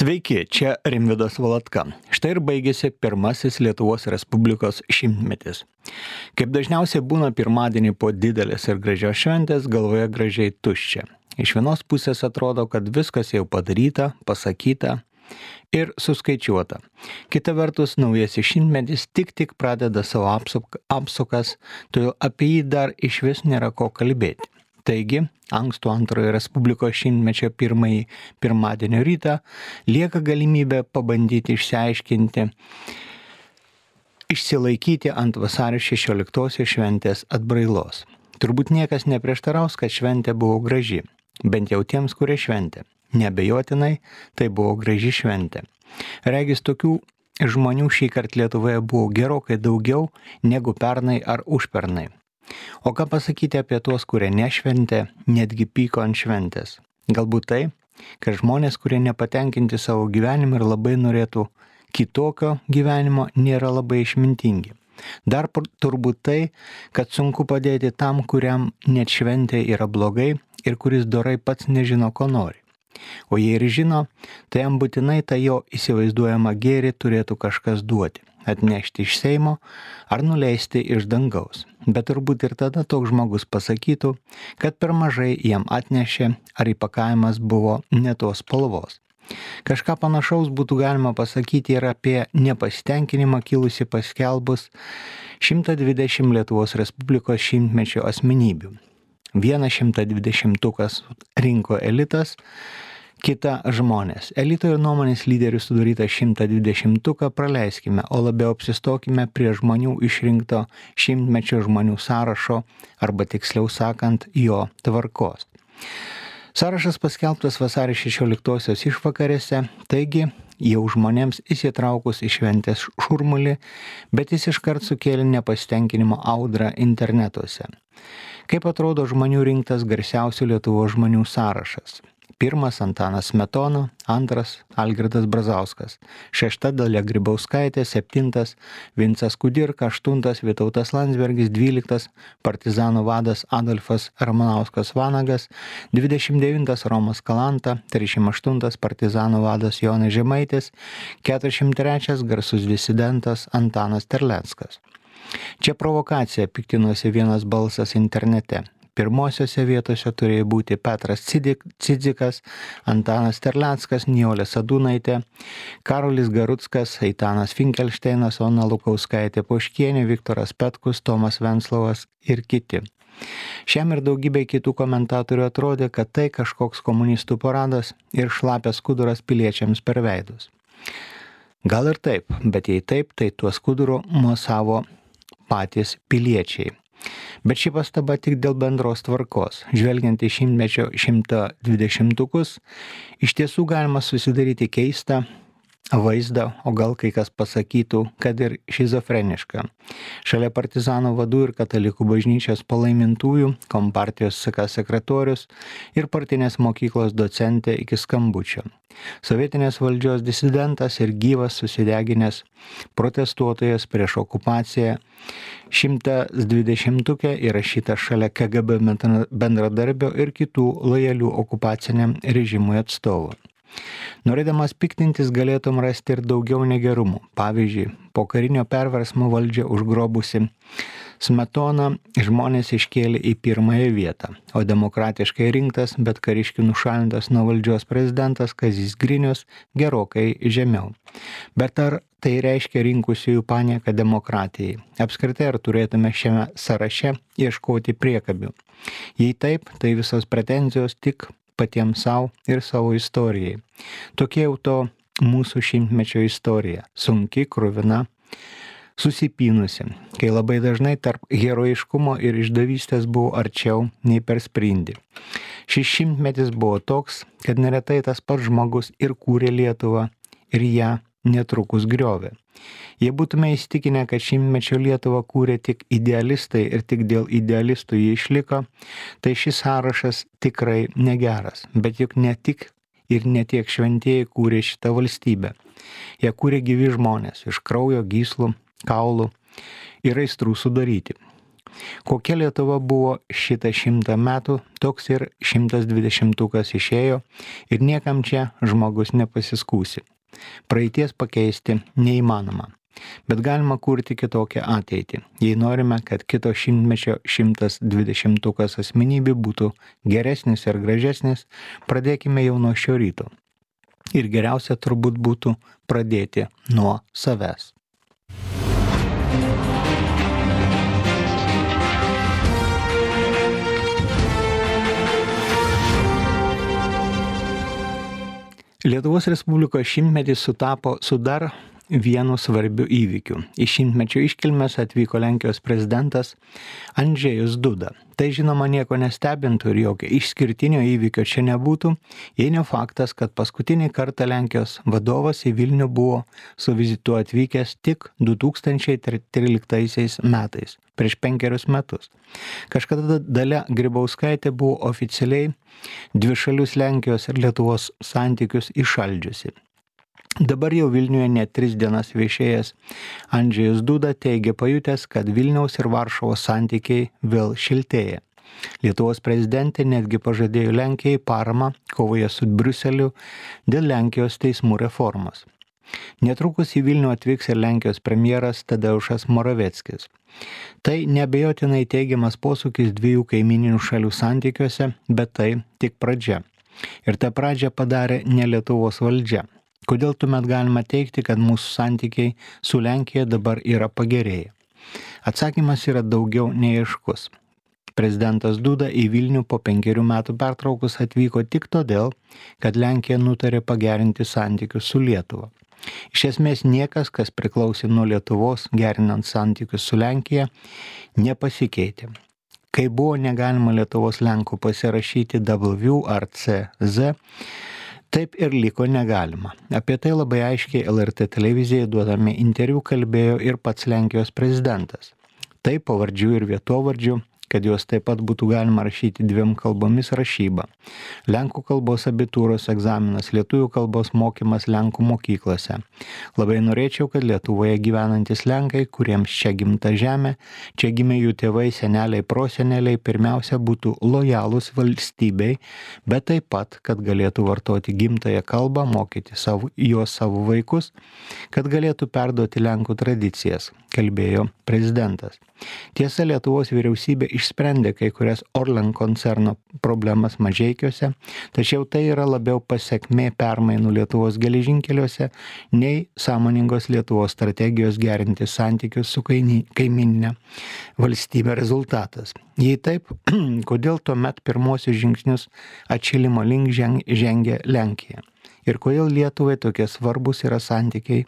Sveiki, čia Rimvydas Valatka. Štai ir baigėsi pirmasis Lietuvos Respublikos šimtmetis. Kaip dažniausiai būna pirmadienį po didelės ir gražios šventės, galvoje gražiai tuščia. Iš vienos pusės atrodo, kad viskas jau padaryta, pasakyta ir suskaičiuota. Kita vertus, naujasis šimtmetis tik pradeda savo apsukas, todėl apie jį dar išvis nėra ko kalbėti. Taigi, ankstų antrojo Respublikos šimtmečio pirmadienio rytą lieka galimybė pabandyti išsilaikyti ant vasario 16 šventės atbrailos. Turbūt niekas neprieštaraus, kad šventė buvo graži, bent jau tiems, kurie šventė. Neabejotinai, tai buvo graži šventė. Regis tokių žmonių šįkart Lietuvoje buvo gerokai daugiau negu pernai ar užpernai. O ką pasakyti apie tuos, kurie nešventė, netgi pyko ant šventės? Galbūt tai, kad žmonės, kurie nepatenkinti savo gyvenimu ir labai norėtų kitokio gyvenimo, nėra labai išmintingi. Dar turbūt tai, kad sunku padėti tam, kuriam net šventė yra blogai ir kuris dorai pats nežino, ko nori. O jei ir žino, tai jam būtinai tą jo įsivaizduojamą gėrį turėtų kažkas duoti. Atnešti iš Seimo ar nuleisti iš dangaus. Bet turbūt ir tada toks žmogus pasakytų, kad per mažai jam atnešė ar įpakavimas buvo ne tos spalvos. Kažką panašaus būtų galima pasakyti ir apie nepasitenkinimą kilusi paskelbus 120 Lietuvos Respublikos šimtmečio asmenybių. Vieną 120-tukas rinko elitas, kita žmonės. Elito ir nuomonės lyderių sudarytą 120-tuką praleiskime, o labiau apsistokime prie žmonių išrinkto šimtmečio žmonių sąrašo, arba tiksliau sakant, jo tvarkos. Sąrašas paskelbtas vasario 16-osios išvakarėse, taigi jau žmonėms įsitraukus į šventės šurmulį, bet jis iškart sukėlė nepasitenkinimo audrą internetuose. Kaip atrodo žmonių rinktas garsiausių Lietuvos žmonių sąrašas? Pirmas Antanas Smetona, antras Algirdas Brazauskas, šešta Dalia Grybauskaitė, septintas Vincas Kudirka, aštuntas Vytautas Landsbergis, 12 partizanų vadas Adolfas Ramanauskas Vanagas, 29 Romas Kalanta, 38 partizanų vadas Jonas Žemaitis, 43 garsus disidentas Antanas Terleckas. Čia provokacija, piktinosi vienas balsas internete. Pirmosiose vietose turėjo būti Petras Cidzikas, Antanas Terleckas, Nijolė Sadūnaitė, Karolis Garuckas, Eitanas Finkelšteinas, Ona Lukauskaitė Poškienė, Viktoras Petkus, Tomas Venclovas ir kiti. Šiam ir daugybė kitų komentatorių atrodė, kad tai kažkoks komunistų paradas ir šlapias skuduras piliečiams per veidus. Gal ir taip, bet jei taip, tai tuo skuduru mosavo patys piliečiai. Bet ši pastaba tik dėl bendros tvarkos. Žvelgiant į šimtmečio 120-tukus, iš tiesų galima susidaryti keistą vaizdą, o gal kai kas pasakytų, kad ir šizofrenišką. Šalia partizanų vadų ir katalikų bažnyčios palaimintųjų, kompartijos CK sekretorius ir partinės mokyklos docentė iki skambučio. Sovietinės valdžios disidentas ir gyvas susideginęs protestuotojas prieš okupaciją 120-tuke įrašyta šalia KGB bendradarbio ir kitų lojalių okupaciniam režimui atstovų. Norėdamas piktintis galėtum rasti ir daugiau negerumų. Pavyzdžiui, po karinio perversmo valdžią užgrobusi Smetoną žmonės iškėlė į pirmąją vietą, o demokratiškai rinktas, bet kariškių nušalintas nuo valdžios prezidentas Kazys Grinius gerokai žemiau. Bet ar tai reiškia rinkusiųjų panieką demokratijai? Apskritai, ar turėtume šiame sąraše ieškoti priekabių? Jei taip, tai visos pretenzijos tik patiems savo ir savo istorijai. Tokia jau to mūsų šimtmečio istorija. Sunki, kruvina, susipynusi, kai labai dažnai tarp herojiškumo ir išdavystės buvo arčiau nei per sprindį. Šis šimtmetis buvo toks, kad neretai tas pats žmogus ir kūrė Lietuvą ir ją netrukus griovė. Jei būtume įsitikinę, kad šimtmečio Lietuvą kūrė tik idealistai ir tik dėl idealistų jį išliko, tai šis sąrašas tikrai negeras. Bet juk ne tik ir ne tiek šventieji kūrė šitą valstybę. Jie kūrė gyvi žmonės iš kraujo, gyslų, kaulų ir aistrų sudaryti. Kokia Lietuva buvo šitą 100 metų, toks ir 120-ukas išėjo ir niekam čia žmogus nepasiskūsi. Praeities pakeisti neįmanoma, bet galima kurti kitokią ateitį. Jei norime, kad kito šimtmečio 120-ukas asmenybė būtų geresnis ir gražesnis, pradėkime jau nuo šio ryto. Ir geriausia turbūt būtų pradėti nuo savęs. Lietuvos Respublikos šimtmetis sutapo su dar vienu svarbiu įvykiu. Į šimtmečio iškilmes atvyko Lenkijos prezidentas Andžejus Duda. Tai žinoma nieko nestebintų ir jokio išskirtinio įvykio čia nebūtų, jei ne faktas, kad paskutinį kartą Lenkijos vadovas į Vilnių buvo su vizitu atvykęs tik 2013 metais, prieš 5 metus. Kažkada Dalia Grybauskaitė buvo oficialiai dvišalius Lenkijos ir Lietuvos santykius įšaldžiusi. Dabar jau Vilniuje net 3 dienas viešėjęs Andžejus Duda teigia pajutęs, kad Vilniaus ir Varšuvos santykiai vėl šiltėja. Lietuvos prezidentė netgi pažadėjo Lenkijai paramą kovoje su Briuseliu dėl Lenkijos teismų reformos. Netrukus į Vilnių atvyks ir Lenkijos premjeras Tadeušas Moraveckis. Tai neabejotinai teigiamas posūkis dviejų kaimyninių šalių santykiuose, bet tai tik pradžia. Ir tą pradžią padarė ne Lietuvos valdžia. Kodėl tuomet galima teigti, kad mūsų santykiai su Lenkija dabar yra pagerėję? Atsakymas yra daugiau neaiškus. Prezidentas Duda į Vilnių po 5 metų pertraukos atvyko tik todėl, kad Lenkija nutarė pagerinti santykius su Lietuva. Iš esmės niekas, kas priklausė nuo Lietuvos, gerinant santykius su Lenkija, nepasikeitė. Kai buvo negalima Lietuvos Lenkų pasirašyti W ar CZ, taip ir liko negalima. Apie tai labai aiškiai LRT televizijai duodami interviu kalbėjo ir pats Lenkijos prezidentas. Tai pavardžių ir vietovardžių, kad juos taip pat būtų galima rašyti 2 kalbomis rašyba. Lenkų kalbos abitūros egzaminas, lietuvių kalbos mokymas Lenkų mokyklose. Labai norėčiau, kad Lietuvoje gyvenantis Lenkai, kuriems čia gimta žemė, čia gimė jų tėvai, seneliai, proseneliai, pirmiausia būtų lojalūs valstybei, bet taip pat, kad galėtų vartoti gimtąją kalbą, mokyti juos savo vaikus, kad galėtų perduoti Lenkų tradicijas, kalbėjo prezidentas. Tiesa, Lietuvos vyriausybė išsprendė kai kurias Orlen koncerno problemas Mažeikiuose, tačiau tai yra labiau pasekmė permainų Lietuvos geležinkeliuose nei sąmoningos Lietuvos strategijos gerinti santykius su kaimyninė valstybė rezultatas. Jei taip, kodėl tuomet pirmosius žingsnius atšilimo link žengia Lenkija? Ir kodėl Lietuvai tokie svarbus yra santykiai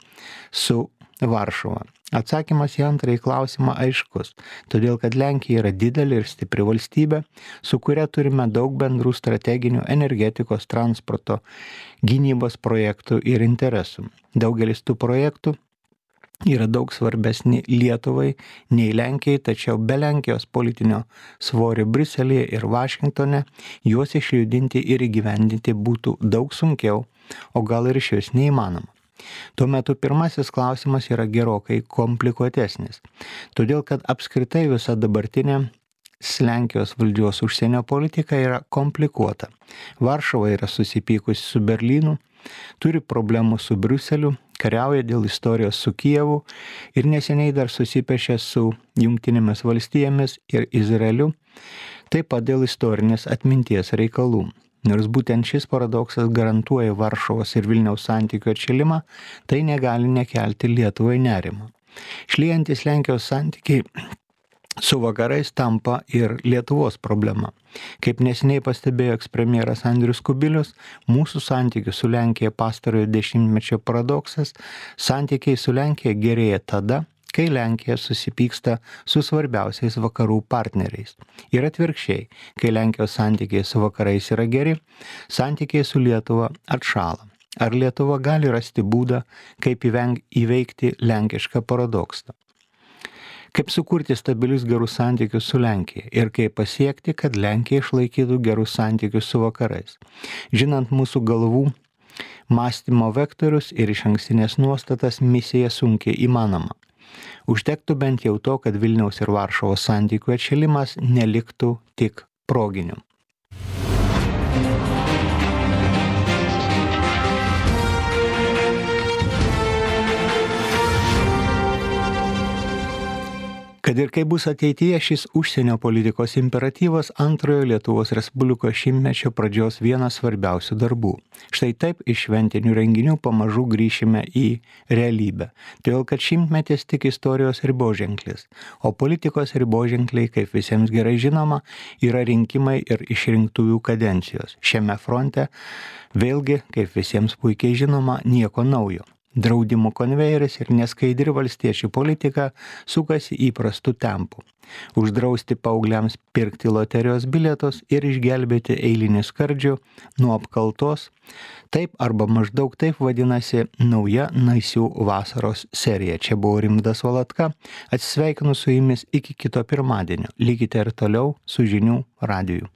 su Varšuva? Atsakymas į antrąjį klausimą aiškus, todėl kad Lenkija yra didelė ir stipri valstybė, su kuria turime daug bendrų strateginių energetikos, transporto, gynybos projektų ir interesų. Daugelis tų projektų yra daug svarbesni Lietuvai nei Lenkijai, tačiau be Lenkijos politinio svorio Briuselyje ir Vašingtone juos išjudinti ir įgyvendinti būtų daug sunkiau, o gal ir išvis neįmanoma. Tuo metu pirmasis klausimas yra gerokai komplikuotesnis, todėl kad apskritai visa dabartinė Lenkijos valdžios užsienio politika yra komplikuota. Varšuva yra susipykusi su Berlynu, turi problemų su Briuseliu, kariauja dėl istorijos su Kijevu ir neseniai dar susipešė su Jungtinėmis valstijomis ir Izraeliu, taip pat dėl istorinės atminties reikalų. Nors būtent šis paradoksas garantuoja Varšuvos ir Vilniaus santykių atšilimą, tai negali nekelti Lietuvai nerimo. Šlyjantis Lenkijos santykiai su vakarais tampa ir Lietuvos problema. Kaip neseniai pastebėjo ekspremjeras Andrius Kubilius, mūsų santykių su Lenkija pastarojo dešimtmečio paradoksas, santykiai su Lenkija gerėja tada, kai Lenkija susipyksta su svarbiausiais vakarų partneriais. Ir atvirkščiai, kai Lenkijos santykiai su vakarais yra geri, santykiai su Lietuva atšąla. Ar Lietuva gali rasti būdą, kaip įveikti lenkišką paradoksą? Kaip sukurti stabilius gerus santykius su Lenkija ir kaip pasiekti, kad Lenkija išlaikytų gerus santykius su vakarais. Žinant mūsų galvų mąstymo vektorius ir išankstinės nuostatas, misija sunkiai įmanoma. Užtektų bent jau to, kad Vilniaus ir Varšuvos santykių atšilimas neliktų tik proginiu. Kad ir kaip bus ateityje, šis užsienio politikos imperatyvas antrojo Lietuvos Respublikos šimtmečio pradžios vienas svarbiausių darbų. Štai taip iš šventinių renginių pamažu grįšime į realybę. Todėl, kad šimtmetis tik istorijos riboženklis, o politikos riboženkliai, kaip visiems gerai žinoma, yra rinkimai ir išrinktųjų kadencijos. Šiame fronte vėlgi, kaip visiems puikiai žinoma, nieko naujo. Draudimų konvejeris ir neskaidri valstiečių politika sukasi įprastų tempų. Uždrausti paaugliams pirkti loterijos bilietus ir išgelbėti eilinį skardžių nuo apkaltos. Taip arba maždaug taip vadinasi nauja naisių vasaros serija. Čia buvo Rimvydas Valatka. Atsisveikinu su jumis iki kito pirmadienio. Likite ir toliau su žinių radiju.